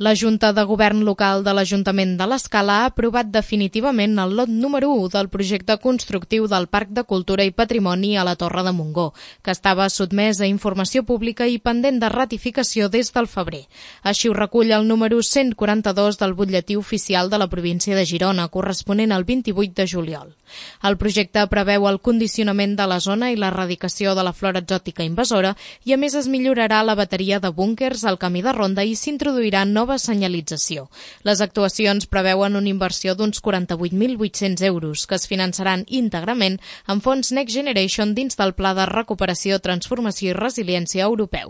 La Junta de Govern Local de l'Ajuntament de l'Escala ha aprovat definitivament el lot número 1 del projecte constructiu del Parc de Cultura i Patrimoni a la Torre de Montgó, que estava sotmès a informació pública i pendent de ratificació des del febrer. Així ho recull el número 142 del butlletí oficial de la província de Girona, corresponent al 28 de juliol. El projecte preveu el condicionament de la zona i l'erradicació de la flora exòtica invasora i, a més, es millorarà la bateria de búnquers al camí de ronda i s'introduirà nova senyalització. Les actuacions preveuen una inversió d'uns 48.800 euros que es finançaran íntegrament amb fons Next Generation dins del Pla de Recuperació, Transformació i Resiliència europeu.